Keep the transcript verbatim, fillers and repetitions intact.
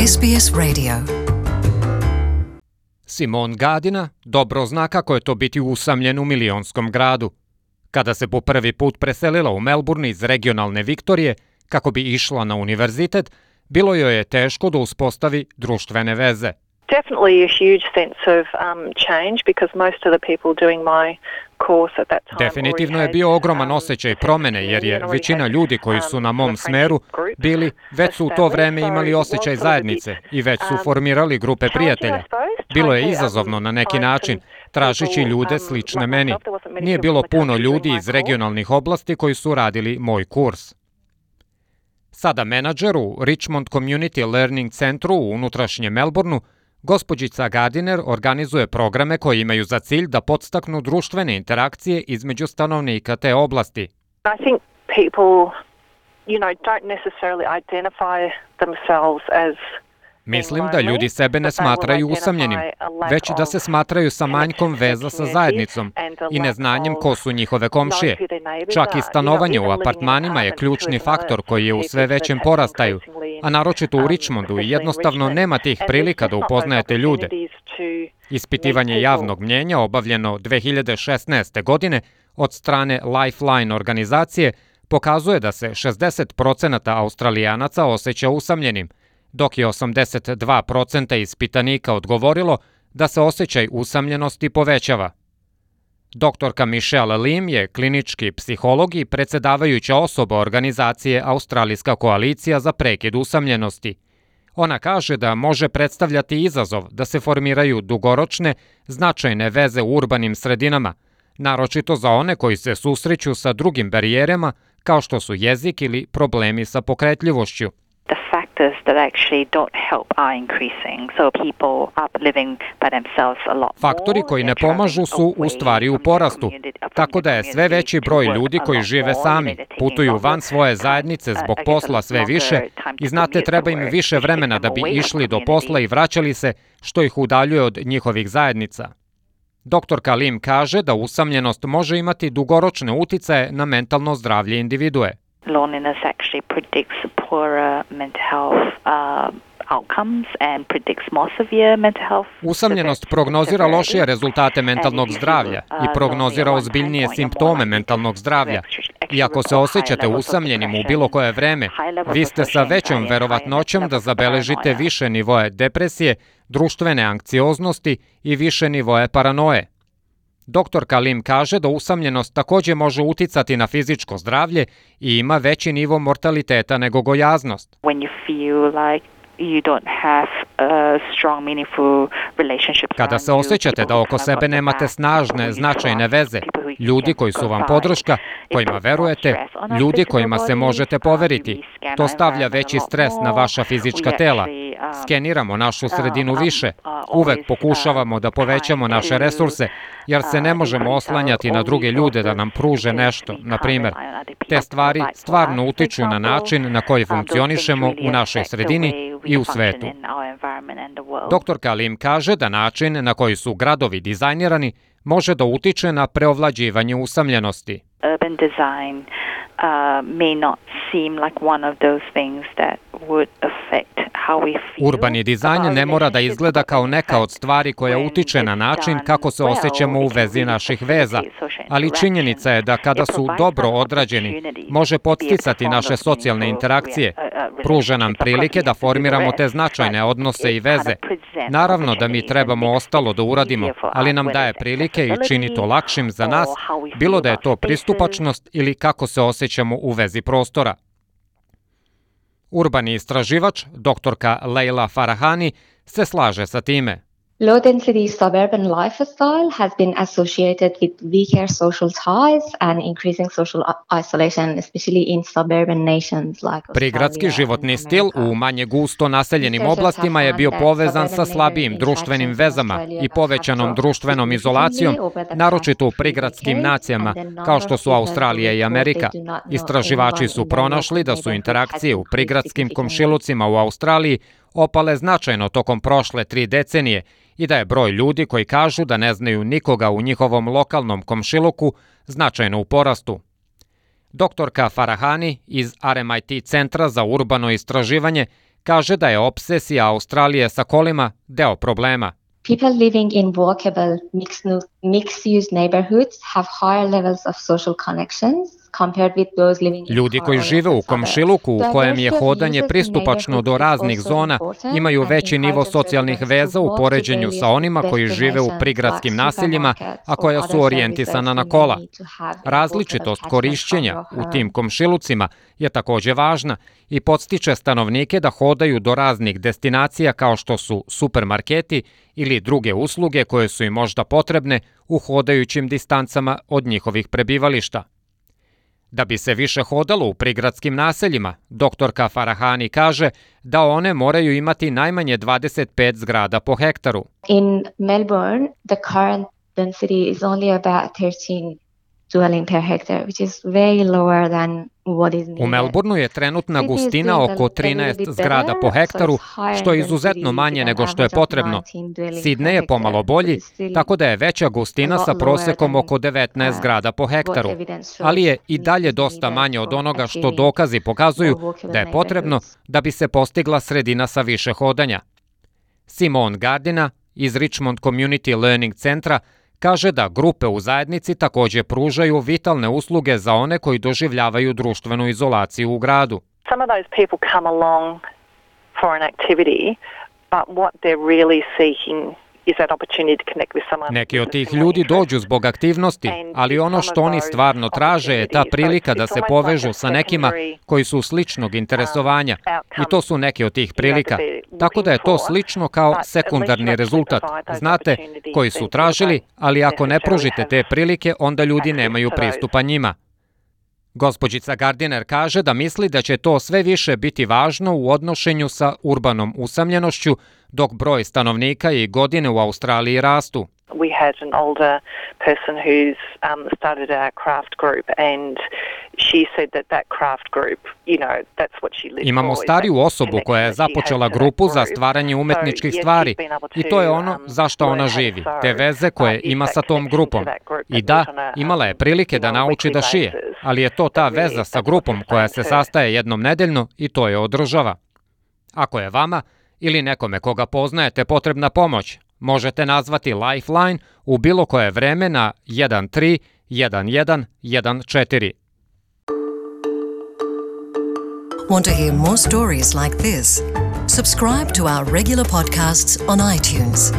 S B S Radio. Simone Gadina dobro zna kako je to biti usamljen u milionskom gradu. Kada se po prvi put preselila u Melbourne iz regionalne Viktorije kako bi išla na univerzitet, bilo joj je teško da uspostavi društvene veze. Definitely a huge sense of um, change because most of the people doing my course at that time. Definitivno je bio ogroman osjećaj promene jer je većina ljudi koji su na mom smeru bili, već su u to vreme imali osjećaj zajednice i već su formirali grupe prijatelja. Bilo je izazovno na neki način, tražeći ljude slične meni. Nije bilo puno ljudi iz regionalnih oblasti koji su radili moj kurs. Sada menadžer u Richmond Community Learning Centru u unutrašnjem Melbourneu, gospođica Gardiner organizuje programe koji imaju za cilj da podstaknu društvene interakcije između stanovnika te oblasti. I think people, you know, don't necessarily identify themselves as. Mislim da ljudi sebe ne smatraju usamljenim, već da se smatraju sa manjkom veza sa zajednicom i neznanjem ko su njihove komšije. Čak i stanovanje u apartmanima je ključni faktor koji je u sve većem porastaju, a naročito u Richmondu i jednostavno nema tih prilika da upoznajete ljude. Ispitivanje javnog mnjenja obavljeno dve hiljade šesnaeste. godine od strane Lifeline organizacije pokazuje da se šezdeset procenata Australijanaca osjeća usamljenim, dok je osamdeset dva posto ispitanika odgovorilo da se osjećaj usamljenosti povećava. Doktorka Michelle Lim je klinički psiholog i predsjedavajuća osoba organizacije Australijska koalicija za prekid usamljenosti. Ona kaže da može predstavljati izazov da se formiraju dugoročne, značajne veze u urbanim sredinama, naročito za one koji se susreću sa drugim barijerama kao što su jezik ili problemi sa pokretljivošću. The factors that actually don't help are increasing. So people are living by themselves a lot more. Faktori koji ne pomažu su u stvari u porastu, tako da je sve veći broj ljudi koji žive sami, putuju van svoje zajednice zbog posla sve više i znate treba im više vremena da bi išli do posla i vraćali se, što ih udaljuje od njihovih zajednica. Doktorka Lim kaže da usamljenost može imati dugoročne uticaje na mentalno zdravlje individue. Loneliness actually predicts poorer mental health uh, outcomes and predicts more severe mental health. Usamljenost prognozira lošije rezultate mentalnog zdravlja i prognozira ozbiljnije simptome mentalnog zdravlja. I ako se osjećate usamljenim u bilo koje vreme, vi ste sa većom verovatnoćom da zabeležite više nivoe depresije, društvene anksioznosti i više nivoe paranoje. Doktorka Lim kaže da usamljenost također može uticati na fizičko zdravlje i ima veći nivo mortaliteta nego gojaznost. When you feel like you don't have a strong, meaningful relationship. Kada se osjećate da oko sebe nemate snažne, značajne veze, ljudi koji su vam podrška, kojima verujete, ljudi kojima se možete poveriti, to stavlja veći stres na vaša fizička tela. Skeniramo našu sredinu više, uvek pokušavamo da povećamo naše resurse, jer se ne možemo oslanjati na druge ljude da nam pruže nešto, na primjer. Te stvari stvarno utiču na način na koji funkcionišemo u našoj sredini i u svetu. Doktorka Lim kaže da način na koji su gradovi dizajnirani može da utiče na preovlađivanje usamljenosti. Urban design uh, may not seem like one of those things that would affect how we feel. Urbani dizajn ne mora da izgleda kao neka od stvari koja utiče na način kako se osjećamo u vezi naših veza, ali činjenica je da kada su dobro odrađeni, može podsticati naše socijalne interakcije, pruža nam prilike da formiramo te značajne odnose i veze. Naravno da mi trebamo ostalo da uradimo, ali nam daje prilike i čini to lakšim za nas, bilo da je to pristupačnost ili kako se osjećamo u vezi prostora. Urbani istraživač, doktorka Leila Farahani, se slaže sa time. Low-density suburban lifestyle has been associated with weaker social ties and increasing social isolation, especially in suburban nations like Australia. Prigradski životni stil u manje gusto naseljenim oblastima je bio povezan sa slabijim društvenim vezama i povećanom društvenom izolacijom, naročito u prigradskim nacijama, kao što su Australija i Amerika. Istraživači su pronašli da su interakcije u prigradskim komšilucima u Australiji opale značajno tokom prošle tri decenije i da je broj ljudi koji kažu da ne znaju nikoga u njihovom lokalnom komšiluku značajno u porastu. Doktorka Farahani iz R M I T Centra za urbano istraživanje kaže da je obsesija Australije sa kolima deo problema. People living in walkable mixed-use neighborhoods have higher levels of social connections compared with those living in Ljudi koji žive u komšiluku u kojem je hodanje pristupačno do raznih zona imaju veći nivo socijalnih veza u poređenju sa onima koji žive u prigradskim naseljima, a koja su orijentisana na kola. Različitost korišćenja u tim komšilucima je takođe važna i podstiče stanovnike da hodaju do raznih destinacija kao što su supermarketi ili druge usluge koje su im možda potrebne u hodajućim distancama od njihovih prebivališta. Da bi se više hodalo u prigradskim naseljima, doktorka Farahani kaže da one moraju imati najmanje dvadeset pet zgrada po hektaru. In Melbourne, the current density is only about thirteen dwelling per hectare, which is way lower than what is needed. U Melbourneu je trenutna gustina oko trinaest zgrada po hektaru, što je izuzetno manje nego što je potrebno. Sidney je pomalo bolji, tako da je veća gustina sa prosekom oko devetnaest zgrada po hektaru, ali je i dalje dosta manje od onoga što dokazi pokazuju da je potrebno da bi se postigla sredina sa više hodanja. Simone Gardina iz Richmond Community Learning Centra kaže da grupe u zajednici takođe pružaju vitalne usluge za one koji doživljavaju društvenu izolaciju u gradu. Some of those people come along for an activity, but what they're really seeking is that opportunity to connect with someone. Neki od tih ljudi dođu zbog aktivnosti, ali ono što oni stvarno traže je ta prilika da se povežu sa nekima koji su sličnog interesovanja i to su neke od tih prilika. Tako da je to slično kao sekundarni rezultat. Znate, koji su tražili, ali ako ne pružite te prilike, onda ljudi nemaju pristupa njima. Gospođica Gardiner kaže da misli da će to sve više biti važno u odnošenju sa urbanom usamljenošću, dok broj stanovnika i godine u Australiji rastu. We had an older person who's um, started our craft group and she said that that craft group, you know, that's what she lives for. Imamo stariju osobu koja je započela grupu za stvaranje umetničkih stvari i to je ono za što ona živi, te veze koje ima sa tom grupom. I da, imala je prilike da nauči da šije, ali je to ta veza sa grupom koja se sastaje jednom nedeljno i to je održava. Ako je vama ili nekome koga poznajete potrebna pomoć, možete nazvati Lifeline u bilo koje vreme na jedan tri jedan jedan jedan četiri. Want to hear more stories like this? Subscribe to our regular podcasts on iTunes.